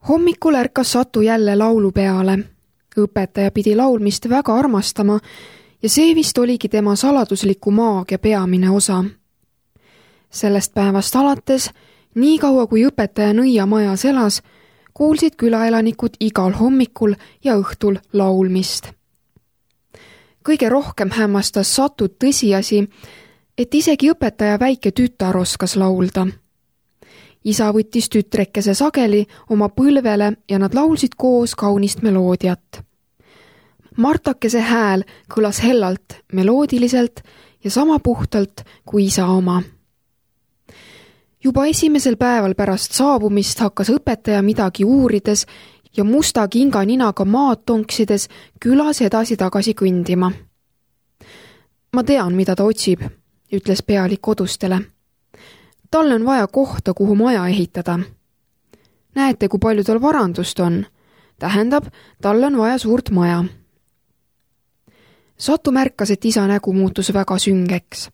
Hommikul ärkas Satu jälle laulu peale. Õpetaja pidi laulmist väga armastama ja see vist oligi tema saladusliku maagia peamine osa. Sellest päevast alates, nii kaua kui õpetaja nõiamajas elas, kuulsid külaelanikud igal hommikul ja õhtul laulmist. Kõige rohkem hämmastas Satut tõsiasi, et isegi õpetaja väike tütar oskas laulda. Isa võttis tütrekese sageli oma põlvele ja nad laulsid koos kaunist meloodiat. Martakese hääl kõlas hellalt, meloodiliselt ja sama puhtalt kui isa oma. Juba esimesel päeval pärast saabumist hakkas õpetaja midagi uurides ja musta kinga ninaga maad tonksides külas edasi-tagasi kõndima. Ma tean, mida ta otsib, ütles pealik kodustele. Talle on vaja kohta, kuhu maja ehitada. Näete, kui palju tal varandust on. Tähendab, talle on vaja suurt maja. Satu märkas, et isa nägu muutus väga süngeks.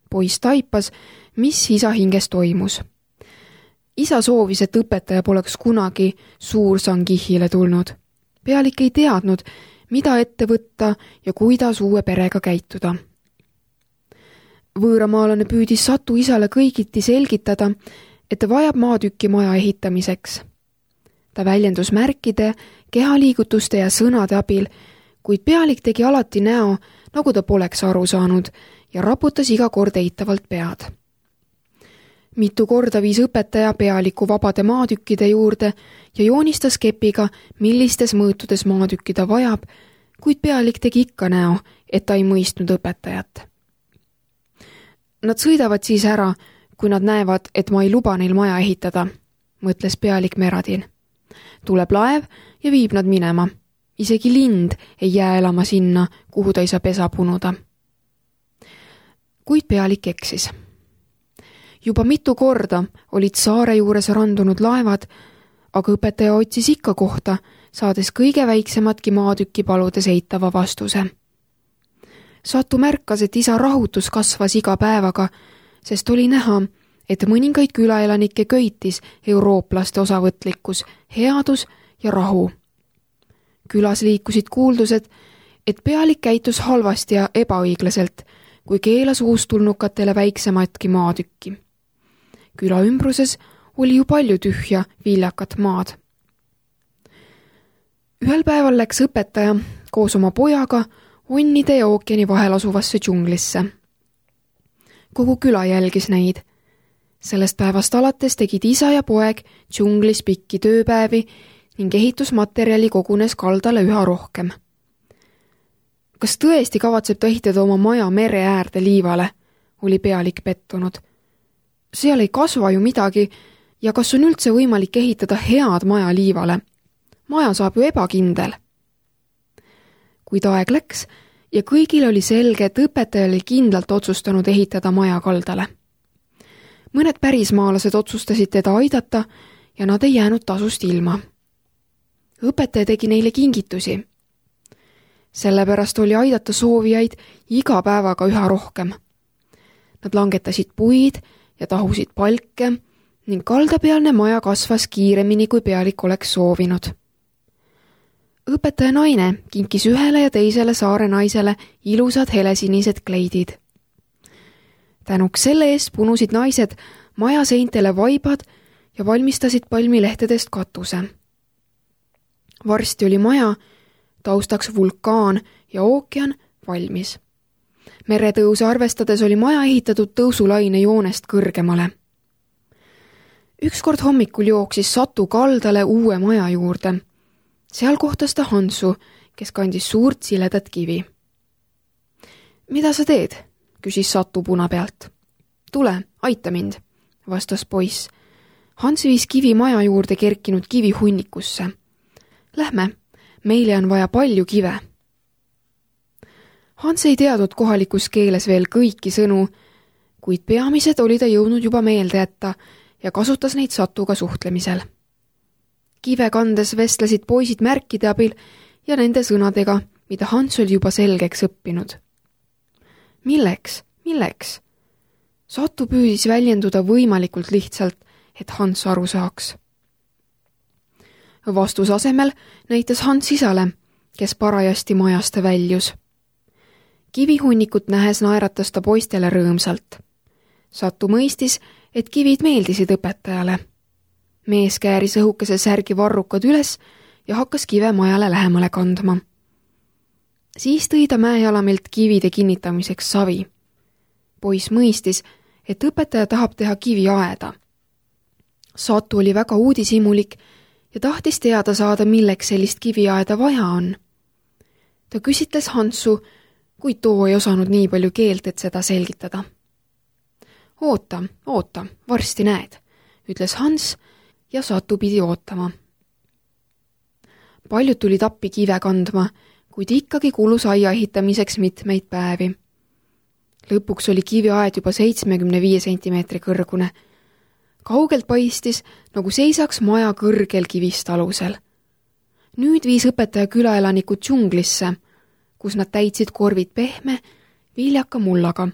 Poiss taipas, mis isa hinges toimus. Isa soovis, et õpetaja poleks kunagi Suur-Sangihile tulnud. Pealik ei teadnud, mida ette võtta ja kuidas uue perega käituda. Võõramaalane püüdis Satu isale kõigiti selgitada, et ta vajab maatükki maja ehitamiseks. Ta väljendus märkide, kehaliigutuste ja sõnade abil, kuid pealik tegi alati näo, nagu ta poleks aru saanud ja raputas iga kord eitavalt pead. Mitu korda viis õpetaja pealiku vabade maatükkide juurde ja joonistas kepiga, millistes mõõtudes maatükki ta vajab, kuid pealik tegi ikka näo, et ta ei mõistnud õpetajat. Nad sõidavad siis ära, kui nad näevad, et ma ei luba neil maja ehitada, mõtles pealik Meradin. Tuleb laev ja viib nad minema. Isegi lind ei jää elama sinna, kuhu ta ei saa pesa punuda. Kuid pealik eksis. Juba mitu korda olid saare juures randunud laevad, aga õpetaja otsis ikka kohta, saades kõige väiksematki maatükki paludes eitava vastuse. Satu märkas, et isa rahutus kasvas iga päevaga, sest oli näha, et mõningaid külaelanikke köitis eurooplaste osavõtlikkus, headus ja rahu. Külas liikusid kuuldused, et pealik käitus halvasti ja ebaõiglaselt, kui keelas uustulnukatele väiksematki maatükki. Küla ümbruses oli ju palju tühja viljakat maad. Ühel päeval läks õpetaja koos oma pojaga onnide ja ookeani vahel asuvasse džunglisse. Kogu küla jälgis neid. Sellest päevast alates tegid isa ja poeg džunglis pikki tööpäevi ning ehitusmaterjali kogunes kaldale üha rohkem. Kas tõesti kavatseb ta ehitada oma maja mere äärde liivale, oli pealik pettunud. Seal ei kasva ju midagi ja kas on üldse võimalik ehitada head maja liivale? Maja saab ju ebakindel. Kuid aeg läks ja kõigil oli selge, et õpetaja oli kindlalt otsustanud ehitada maja kaldale. Mõned pärismaalased otsustasid teda aidata ja nad ei jäänud tasust ilma. Õpetaja tegi neile kingitusi. Sellepärast oli aidata soovijaid iga päevaga üha rohkem. Nad langetasid puid ja tahusid palke ning kaldapealne maja kasvas kiiremini, kui pealik oleks soovinud. Õpetaja naine kinkis ühele ja teisele saare naisele ilusad helesinised kleidid. Tänuks selle eest punusid naised maja seintele vaibad ja valmistasid palmilehtedest katuse. Varsti oli maja, taustaks vulkaan ja ookean valmis. Meretõuse arvestades oli maja ehitatud tõusulaine joonest kõrgemale. Ükskord hommikul jooksis Satu kaldale uue maja juurde. Seal kohtas ta Hansu, kes kandis suurt siledat kivi. Mida sa teed? Küsis Satu puna pealt. Tule, aita mind, vastas poiss. Hans viis kivi maja juurde kerkinud kivi hunnikusse. Lähme, meile on vaja palju kive. Hans ei teadnud kohalikus keeles veel kõiki sõnu, kuid peamised oli ta jõudnud juba meelde jätta ja kasutas neid Satuga suhtlemisel. Kive kandes vestlesid poisid märkide abil ja nende sõnadega, mida Hans oli juba selgeks õppinud. Milleks? Milleks? Satu püüdis väljenduda võimalikult lihtsalt, et Hans aru saaks. Vastuse asemel näitas Hans isale, kes parajasti majast väljus. Kivihunnikut nähes naeratas ta poistele rõõmsalt. Satu mõistis, et kivid meeldisid õpetajale. Mees kääris õhukese särgi varrukad üles ja hakkas kive majale lähemale kandma. Siis tõi ta mäejalamelt kivide kinnitamiseks savi. Poiss mõistis, et õpetaja tahab teha kiviaeda. Satu oli väga uudishimulik ja tahtis teada saada, milleks sellist kiviaeda vaja on. Ta küsitles Hansu, kuid too ei osanud nii palju keelt, et seda selgitada. Oota, varsti näed, ütles Hans ja Satu pidi ootama. Paljud tulid appi kive kandma, kuid ikkagi kulus aia ehitamiseks mitmeid päevi. Lõpuks oli kiviaed juba 75 sentimeetri kõrgune. Kaugelt paistis, nagu seisaks maja kõrgel kivist alusel. Nüüd viis õpetaja külaelanikud džunglisse, kus nad täitsid korvid pehme, viljaka mullaga.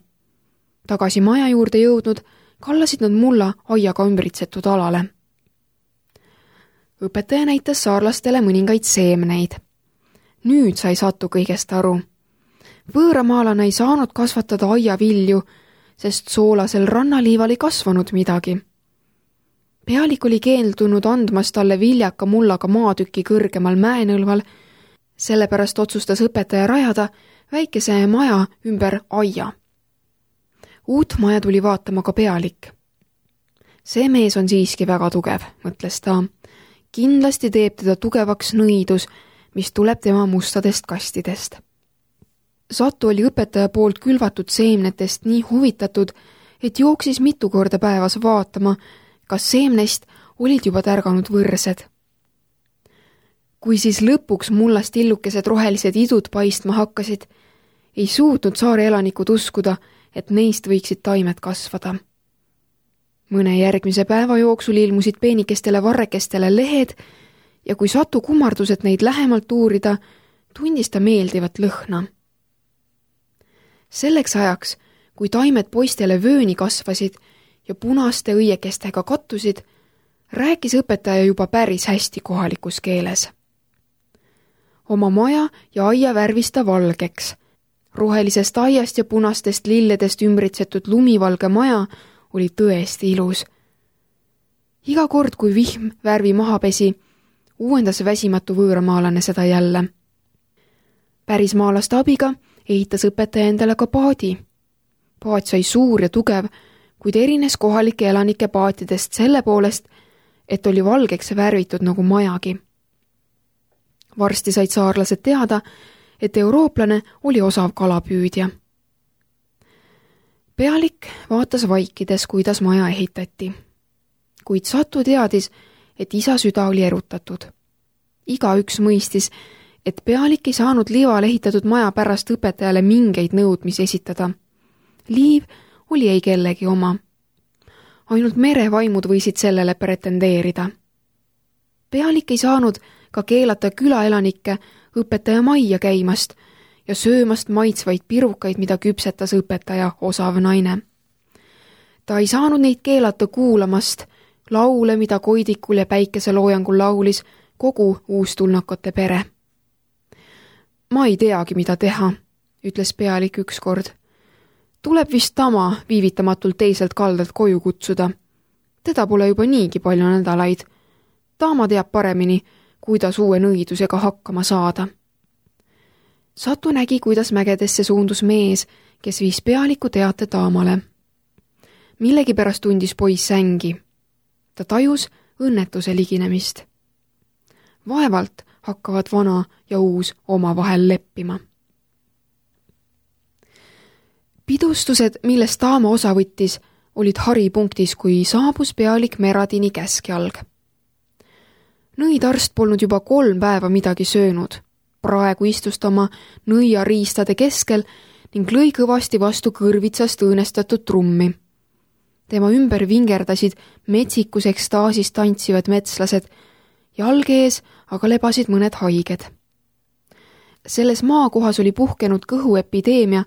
Tagasi maja juurde jõudnud, kallasid nad mulla aiaga ümbritsetud alale. Õpetaja näitas saarlastele mõningaid seemneid. Nüüd sai Satu kõigest aru. Võõramaalane ei saanud kasvatada aiavilju, sest soolasel rannaliival ei kasvanud midagi. Pealik oli keeldunud andmast talle viljaka mullaga maatüki kõrgemal mäenõlval, sellepärast otsustas õpetaja rajada väikese maja ümber aia. Uut maja tuli vaatama ka Pealik. See mees on siiski väga tugev, mõtles ta. Kindlasti teeb teda tugevaks nõidus, mis tuleb tema mustadest kastidest. Satu oli õpetaja poolt külvatud seemnetest nii huvitatud, et jooksis mitu korda päevas vaatama, kas seemnest olid juba tärganud võrsed. Kui siis lõpuks mullast illukesed rohelised idud paistma hakkasid, ei suutnud saare elanikud uskuda, et neist võiksid taimed kasvada. Mõne järgmise päeva jooksul ilmusid peenikestele varrekestele lehed ja kui Satu kummardus, et neid lähemalt uurida, tundis ta meeldivat lõhna. Selleks ajaks, kui taimed poistele vööni kasvasid ja punaste õiekestega kattusid, rääkis õpetaja juba päris hästi kohalikus keeles. Oma maja ja aia värvis ta valgeks. Rohelisest aiast ja punastest lilledest ümbritsetud lumivalge maja oli tõesti ilus. Iga kord, kui vihm värvi maha pesi, uuendas väsimatu võõramaalane seda jälle. Pärismaalaste abiga ehitas õpetaja endale ka paadi. Paat sai suur ja tugev, kuid erines kohalike elanike paatidest selle poolest, et oli valgeks värvitud nagu majagi. Varsti said saarlased teada, et eurooplane oli osav kalapüüdja. Pealik vaatas vaikides, kuidas maja ehitati. Kuid Satu teadis, et isa süda oli erutatud. Igaüks mõistis, et Pealik ei saanud liival ehitatud maja pärast õpetajale mingeid nõudmisi esitada. Liiv oli ei kellegi oma. Ainult merevaimud võisid sellele pretendeerida. Pealik ei saanud ka keelata külaelanikke õpetaja majja käimast ja söömast maitsvaid pirukaid, mida küpsetas õpetaja osav naine. Ta ei saanud neid keelata kuulamast laule, mida koidikul ja päikeseloojangul laulis kogu uustulnakate pere. Ma ei teagi, mida teha, ütles Pealik ükskord. Tuleb vist Tama viivitamatult teiselt kaldalt koju kutsuda. Teda pole juba niigi palju nädalaid. Tama teab paremini, kuidas uue nõidusega hakkama saada. Satu nägi, kuidas mägedesse suundus mees, kes viis Pealiku teate Taamale. Millegipärast tundis poiss ängi. Ta tajus õnnetuse liginemist. Vaevalt hakkavad vana ja uus omavahel leppima. Pidustused, millest Taama osa võttis, olid haripunktis, kui saabus Pealik Meradini käskjalg. Nõidarst polnud juba 3 päeva midagi söönud. Praegu istus ta oma nõiariistade keskel ning lõi kõvasti vastu kõrvitsast õõnestatud trummi. Tema ümber vingerdasid metsikus ekstaasis tantsivad metslased, jalge ees aga lebasid mõned haiged. Selles maakohas oli puhkenud kõhuepideemia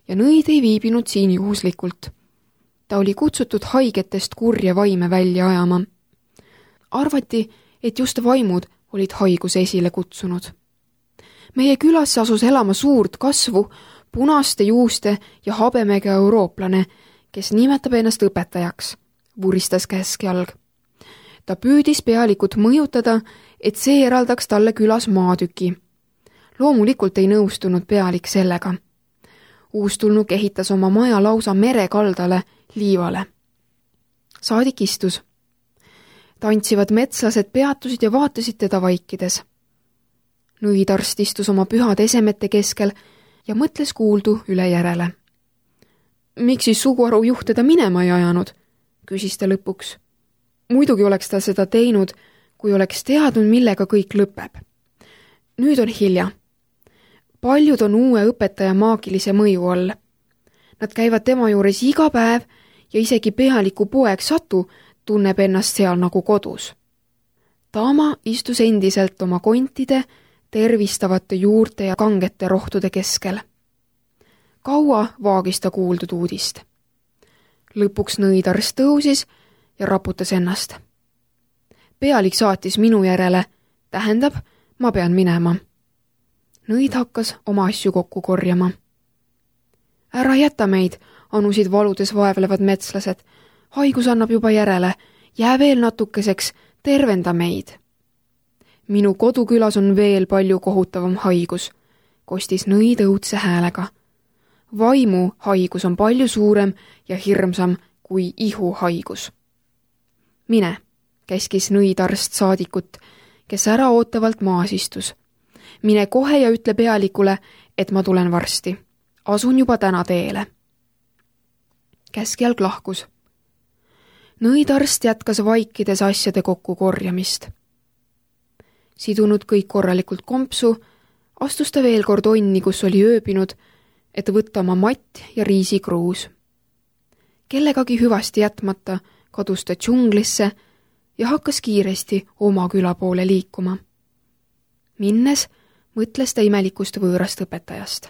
ja nõid ei viibinud siin juhuslikult. Ta oli kutsutud haigetest kurje vaime välja ajama. Arvati, et just vaimud olid haiguse esile kutsunud. Meie külasse asus elama suurt kasvu, punaste juuste ja habemega eurooplane, kes nimetab ennast õpetajaks, vuristas käskjalg. Ta püüdis pealikut mõjutada, et see eraldaks talle külas maatüki. Loomulikult ei nõustunud pealik sellega. Uustulnuk ehitas oma maja lausa merekaldale, liivale. Saadik istus. Tantsivad metslased peatusid ja vaatasid teda vaikides. Nõidarst istus oma pühade esemete keskel ja mõtles kuuldu üle järele. Miks siis suguharu juht teda minema ei ajanud, küsis ta lõpuks. Muidugi oleks ta seda teinud, kui oleks teadnud, millega kõik lõpeb. Nüüd on hilja. Paljud on uue õpetaja maagilise mõju all. Nad käivad tema juures iga päev ja isegi pealiku poeg Satu tunneb ennast seal nagu kodus. Taama istus endiselt oma kontide, tervistavate juurte ja kangete rohtude keskel. Kaua vaagis ta kuuldud uudist. Lõpuks nõidarst tõusis ja raputas ennast. Pealik saatis minu järele, tähendab, ma pean minema. Nõid hakkas oma asju kokku korjama. Ära jäta meid, anusid valudes vaevlevad metslased. Haigus annab juba järele, jää veel natukeseks, tervenda meid. Minu kodukülas on veel palju kohutavam haigus, kostis Nõid õudse häälega. Vaimu haigus on palju suurem ja hirmsam kui ihuhaigus. Mine, käskis Nõidarst saadikut, kes ära ootavalt maas istus. Mine kohe ja ütle pealikule, et ma tulen varsti. Asun juba täna teele. Käskjalg lahkus. Nõidarst jätkas vaikides asjade kokku korjamist. Sidunud kõik korralikult kompsu, astus ta veel kord onni, kus oli ööbinud, et võtta oma matt ja riisikruus. Kellegagi hüvasti jätmata kadus ta džunglisse ja hakkas kiiresti oma küla poole liikuma. Minnes mõtles ta imelikust võõrast õpetajast.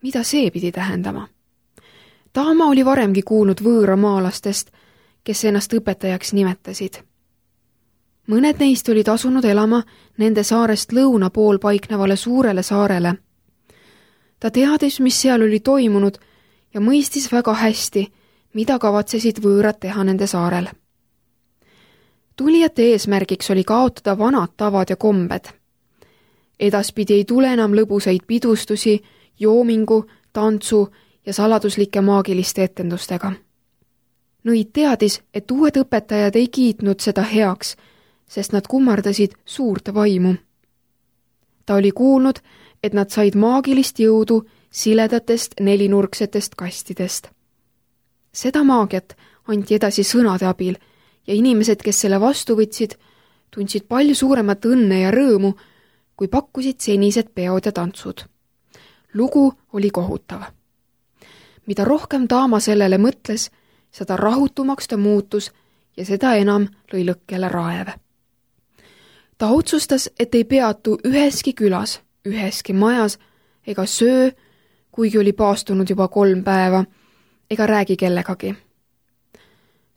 Mida see pidi tähendama? Taama oli varemgi kuulnud võõramaalastest, kes ennast õpetajaks nimetasid. Mõned neist olid asunud elama nende saarest lõuna pool paiknevale suurele saarele. Ta teadis, mis seal oli toimunud ja mõistis väga hästi, mida kavatsesid võõrad teha nende saarel. Tulijate eesmärgiks oli kaotada vanad tavad ja kombed. Edaspidi ei tule enam lõbusaid pidustusi, joomingu, tantsu ja saladuslike maagiliste etendustega. Nõid teadis, et uued õpetajad ei kiitnud seda heaks, sest nad kummardasid suurt vaimu. Ta oli kuulnud, et nad said maagilist jõudu siledatest nelinurksetest kastidest. Seda maagiat anti edasi sõnade abil ja inimesed, kes selle vastu võtsid, tundsid palju suuremat õnne ja rõõmu, kui pakkusid senised peod ja tantsud. Lugu oli kohutav. Mida rohkem Taama sellele mõtles, seda rahutumaks ta muutus ja seda enam lõi lõkkele raev. Ta otsustas, et ei peatu üheski külas, üheski majas ega söö, kuigi oli paastunud juba 3 päeva, ega räägi kellegagi.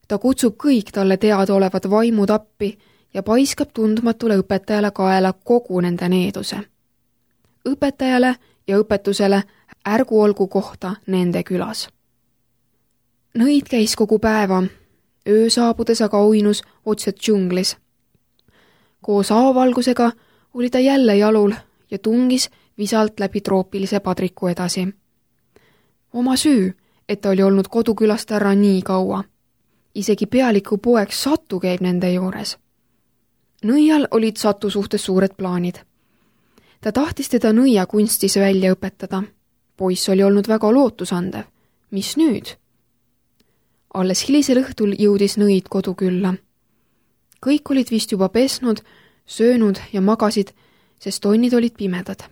Ta kutsub kõik talle teadaolevad vaimud appi ja paiskab tundmatule õpetajale kaela kogu nende needuse. Õpetajale ja õpetusele ärgu olgu kohta nende külas. Nõid käis kogu päeva, öö saabudes aga uinus otse džunglis. Koos avavalgusega oli ta jälle jalul ja tungis visalt läbi troopilise padriku edasi. Oma süü, et ta oli olnud kodukülast ära nii kaua. Isegi pealiku poeg Satu käib nende juures. Nõial olid Satu suhtes suured plaanid. Ta tahtis teda nõia kunstis välja õpetada. Poiss oli olnud väga lootusandev. Mis nüüd? Alles hilisel õhtul jõudis Nõid kodukülla. Kõik olid vist juba pesnud, söönud ja magasid, sest tonnid olid pimedad.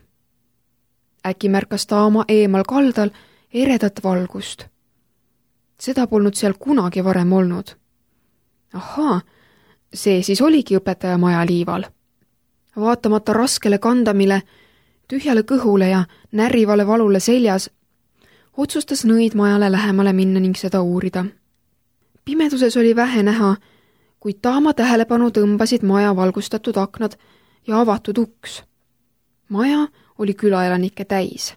Äkki märkas Taama eemal kaldal eredat valgust. Seda polnud seal kunagi varem olnud. Ahaa, see siis oligi õpetaja maja liival. Vaatamata raskele kandamile, tühjale kõhule ja närrivale valule seljas, otsustas Nõid majale lähemale minna ning seda uurida. Pimeduses oli vähe näha, kuid Taama tähelepanu tõmbasid maja valgustatud aknad ja avatud uks. Maja oli külaelanikke täis.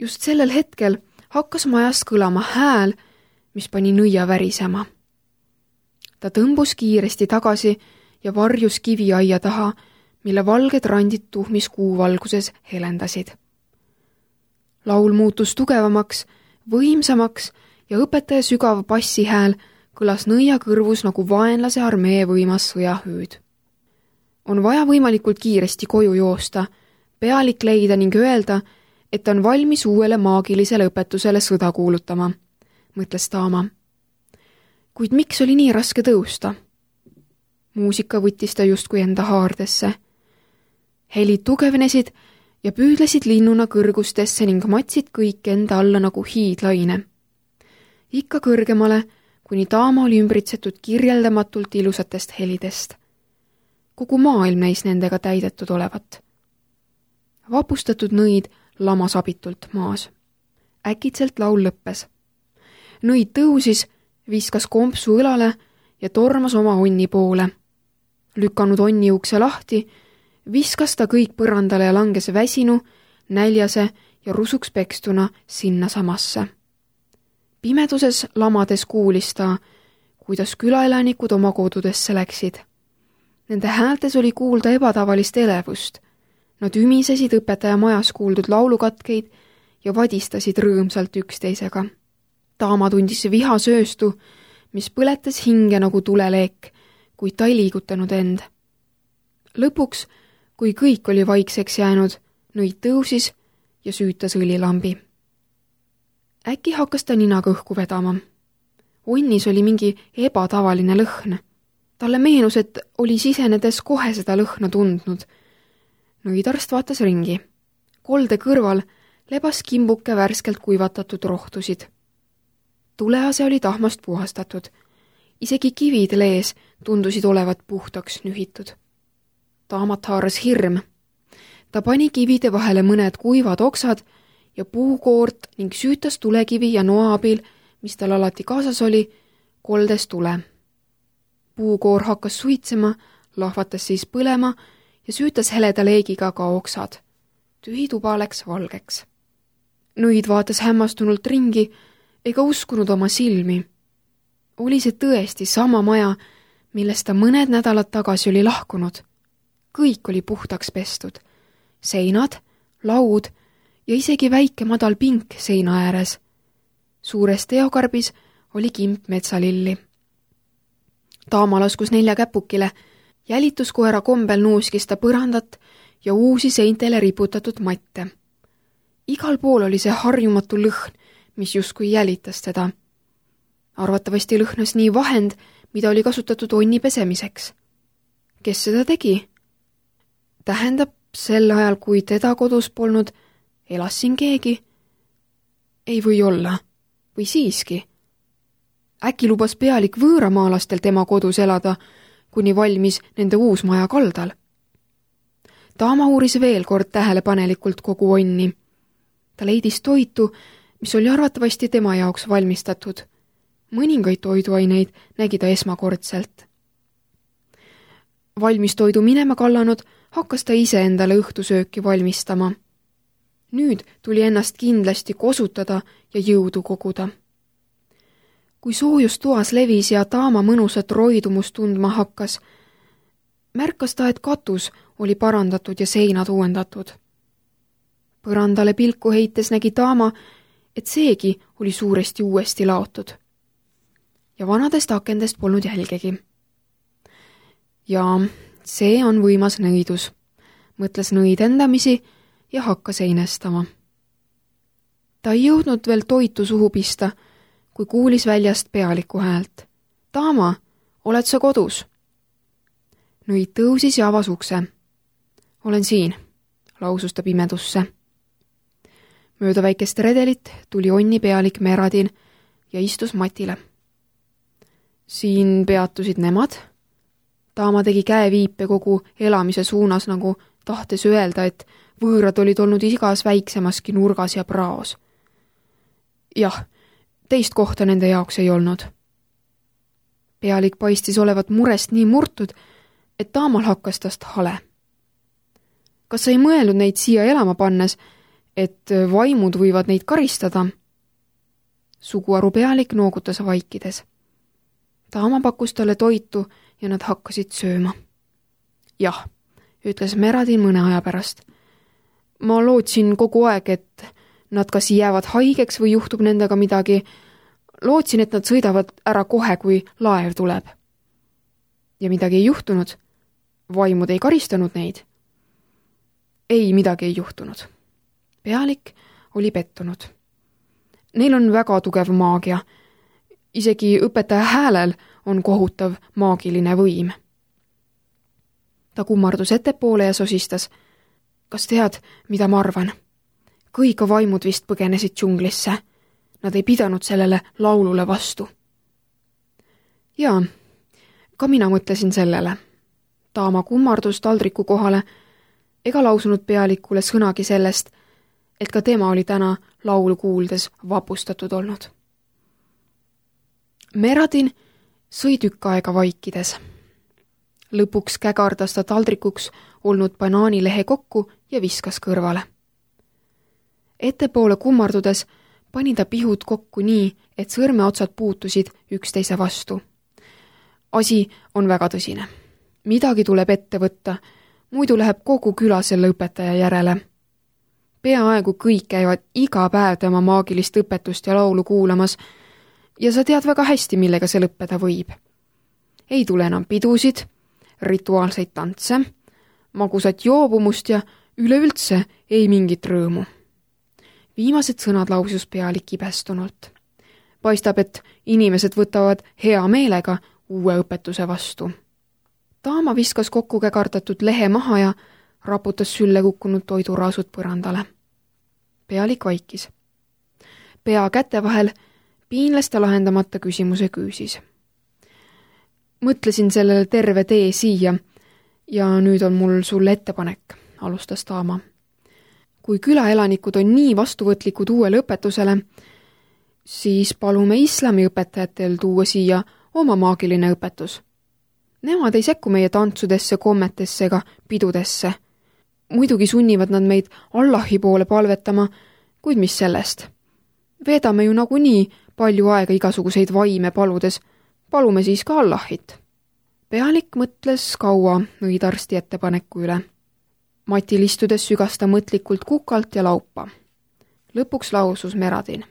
Just sellel hetkel hakkas majast kõlama hääl, mis pani nõia värisema. Ta tõmbus kiiresti tagasi ja varjus kiviaia taha, mille valged randid tuhmis kuuvalguses helendasid. Laul muutus tugevamaks, võimsamaks ja õpetaja sügav bassihääl kõlas nõia kõrvus nagu vaenlase armee võimas sõjahüüd. On vaja võimalikult kiiresti koju joosta, pealik leida ning öelda, et on valmis uuele maagilisele õpetusele sõda kuulutama, mõtles Taama. Kuid miks oli nii raske tõusta? Muusika võttis ta justkui enda haardesse. Helid tugevnesid ja püüdlesid linnuna kõrgustesse ning matsid kõik enda alla nagu hiidlaine. Ikka kõrgemale, kuni Taama oli ümbritsetud kirjeldamatult ilusatest helidest. Kogu maailm näis nendega täidetud olevat. Vapustatud nõid lamas abitult maas. Äkitselt laul lõppes. Nõid tõusis, viskas kompsu õlale ja tormas oma onni poole. Lükanud onni ukse lahti, viskas ta kõik põrandale ja langes väsinu, näljase ja rusuks pekstuna sinna samasse. Pimeduses lamades kuulis ta, kuidas külaelanikud oma kodudesse läksid. Nende häältes oli kuulda ebatavalist elevust. Nad ümisesid õpetaja majas kuuldud laulukatkeid ja vadistasid rõõmsalt üksteisega. Taama tundis viha sööstu, mis põletas hinge nagu tuleleek, kuid ta ei liigutanud end. Lõpuks, kui kõik oli vaikseks jäänud, nõid tõusis ja süütas õlilambi. Äkki hakkas ta ninaga õhku vedama. Onnis oli mingi ebatavaline lõhn. Talle meenus, et oli sisenedes kohe seda lõhna tundnud. Nõidarst vaatas ringi. Kolde kõrval lebas kimbuke värskelt kuivatatud rohtusid. Tulease oli tahmast puhastatud. Isegi kivid lees tundusid olevat puhtaks nühitud. Taamat haaras hirm. Ta pani kivide vahele mõned kuivad oksad ja puukoort ning süütas tulekivi ja noa abil, mis tal alati kaasas oli, koldes tule. Puukoor hakkas suitsema, lahvatas siis põlema ja süütas heleda leegiga ka oksad. Tühi tuba läks valgeks. Nõid vaatas hämmastunult ringi ega uskunud oma silmi. Oli see tõesti sama maja, millest ta mõned nädalad tagasi oli lahkunud. Kõik oli puhtaks pestud. Seinad, laud ja isegi väike madal pink seina ääres. Suures teokarbis oli kimp metsalilli. Taama laskus 4 käpukile, jälituskoera kombel nuuskis ta põrandat ja uusi seintele riputatud matte. Igal pool oli see harjumatu lõhn, mis justkui jälitas teda. Arvatavasti lõhnas nii vahend, mida oli kasutatud onni pesemiseks. Kes seda tegi? Tähendab, sel ajal, kui teda kodus polnud, elas siin keegi? Ei või olla. Või siiski? Äkki lubas pealik võõramaalastel tema kodus elada, kuni valmis nende uus maja kaldal. Taama uuris veel kord tähelepanelikult kogu onni. Ta leidis toitu, mis oli arvatavasti tema jaoks valmistatud. Mõningaid toiduaineid nägi ta esmakordselt. Valmis toidu minema kallanud, hakkas ta ise endale õhtusööki valmistama. Nüüd tuli ennast kindlasti kosutada ja jõudu koguda. Kui soojus toas levis ja Taama mõnusat roidumust tundma hakkas, märkas ta, et katus oli parandatud ja seinad uuendatud. Põrandale pilku heites nägi Taama, et seegi oli suuresti uuesti laotud. Ja vanadest akendest polnud jälgegi. Ja see on võimas nõidus, mõtles nõid endamisi ja hakkas einestama. Ta ei jõudnud veel toitu suhu pista, kui kuulis väljast pealiku häält. Taama, oled sa kodus? Nõid tõusis ja avas ukse. Olen siin, lausus ta pimedusse. Mööda väikest redelit tuli onni pealik Meradin ja istus matile. Siin peatusid nemad. Taama tegi käeviipe kogu elamise suunas, nagu tahtes öelda, et võõrad olid olnud igas väiksemaski nurgas ja praos. Jah, teist kohta nende jaoks ei olnud. Pealik paistis olevat murest nii murtud, et Taamal hakkas tast hale. Kas sa ei mõelnud neid siia elama pannes, et vaimud võivad neid karistada? Suguharu pealik noogutas vaikides. Taama pakkus talle toitu ja nad hakkasid sööma. Jah, ütles Meradin mõne aja pärast. Ma lootsin kogu aeg, et nad kas jäävad haigeks või juhtub nendega midagi. Lootsin, et nad sõidavad ära kohe, kui laev tuleb. Ja midagi ei juhtunud. Vaimud ei karistanud neid. Ei, midagi ei juhtunud. Pealik oli pettunud. Neil on väga tugev maagia. Isegi õpetaja häälel on kohutav maagiline võim. Ta kummardus ettepoole ja sosistas. Kas tead, mida ma arvan? Kõik vaimud vist põgenesid džunglisse. Nad ei pidanud sellele laulule vastu. Jaa, ka mina mõtlesin sellele. Taama kummardus taldriku kohale ega lausunud pealikule sõnagi sellest, et ka tema oli täna laulu kuuldes vapustatud olnud. Meradin sõi tükk aega vaikides. Lõpuks kägardas ta taldrikuks olnud banaanilehe kokku ja viskas kõrvale. Ettepoole kummardudes pani ta pihud kokku nii, et sõrmeotsad puutusid üksteise vastu. Asi on väga tõsine. Midagi tuleb ette võtta, muidu läheb kogu küla selle õpetaja järele. Peaaegu kõik käivad iga päev tema maagilist õpetust ja laulu kuulamas ja sa tead väga hästi, millega see lõppeda võib. Ei tule enam pidusid, rituaalseid tantse, magusat joobumust ja üleüldse ei mingit rõõmu. Viimased sõnad lausus pealik ibestunult. Paistab, et inimesed võtavad hea meelega uue õpetuse vastu. Taama viskas kokku kägardatud lehe maha ja raputas sülle kukkunud toiduraasud põrandale. Pealik vaikis. Pea käte vahel piinles ta lahendamata küsimuse küüsis. Mõtlesin sellele terve tee siia ja nüüd on mul sulle ettepanek, alustas Taama. Kui külaelanikud on nii vastuvõtlikud uuele õpetusele, siis palume islamiõpetajatel tuua siia oma maagiline õpetus. Nemad ei sekku meie tantsudesse, kommetesse ega pidudesse. Muidugi sunnivad nad meid Allahi poole palvetama, kuid mis sellest? Veedame ju nagunii palju aega igasuguseid vaime paludes, palume siis ka Allahit. Pealik mõtles kaua nõidarsti ettepaneku üle. Matil istudes sügas ta mõtlikult kukalt ja laupa. Lõpuks lausus Meradin.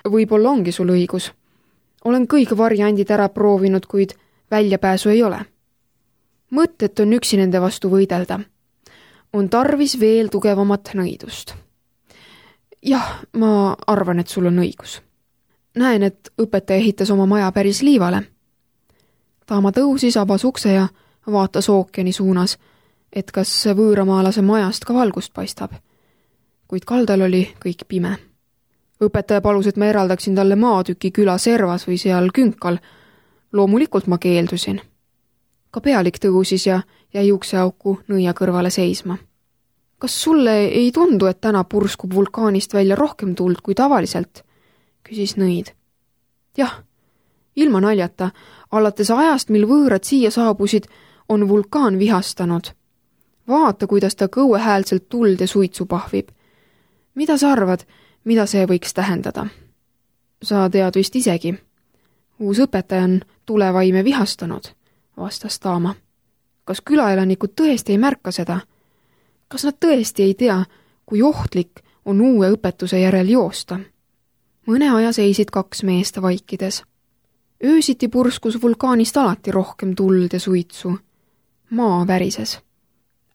Võib-olla ongi sul õigus. Olen kõik variandid ära proovinud, kuid väljapääsu ei ole. Mõttet on üksi nende vastu võidelda. On tarvis veel tugevamat nõidust. Jah, ma arvan, et sul on õigus. Näen, et õpetaja ehitas oma maja päris liivale. Taama tõusis, avas ukse ja vaatas ookeani suunas, et kas võõramaalase majast ka valgust paistab. Kuid kaldal oli kõik pime. Õpetaja palus, et ma eraldaksin talle maatüki küla servas või seal künkal. Loomulikult ma keeldusin. Ka pealik tõusis ja jäi ukseauku nõia kõrvale seisma. Kas sulle ei tundu, et täna purskub vulkaanist välja rohkem tuld kui tavaliselt? Küsis nõid. Jah, ilma naljata, alates ajast, mil võõrad siia saabusid, on vulkaan vihastanud. Vaata, kuidas ta kõuehäälselt tuld ja suitsu pahvib. Mida sa arvad, mida see võiks tähendada? Sa tead vist isegi. Uus õpetaja on tulevaime vihastanud, vastas Taama. Kas külaelanikud tõesti ei märka seda? Kas nad tõesti ei tea, kui ohtlik on uue õpetuse järel joosta? Mõne aja seisid kaks meest vaikides. Öösiti purskus vulkaanist alati rohkem tuld ja suitsu. Maa värises.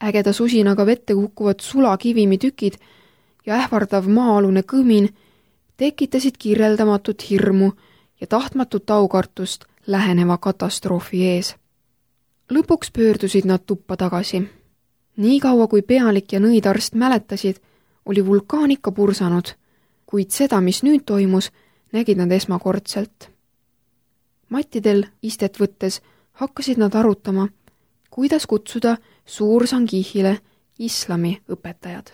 Ägeda susinaga vette kukkuvad sulakivimi tükid ja ähvardav maa-alune kõmin tekitasid kirjeldamatut hirmu ja tahtmatut aukartust läheneva katastroofi ees. Lõpuks pöördusid nad tuppa tagasi. Nii kaua kui pealik ja nõidarst mäletasid, oli vulkaan ikka pursanud, kuid seda, mis nüüd toimus, nägid nad esmakordselt. Mattidel istet võttes hakkasid nad arutama, kuidas kutsuda Suur Sangihile islami õpetajad.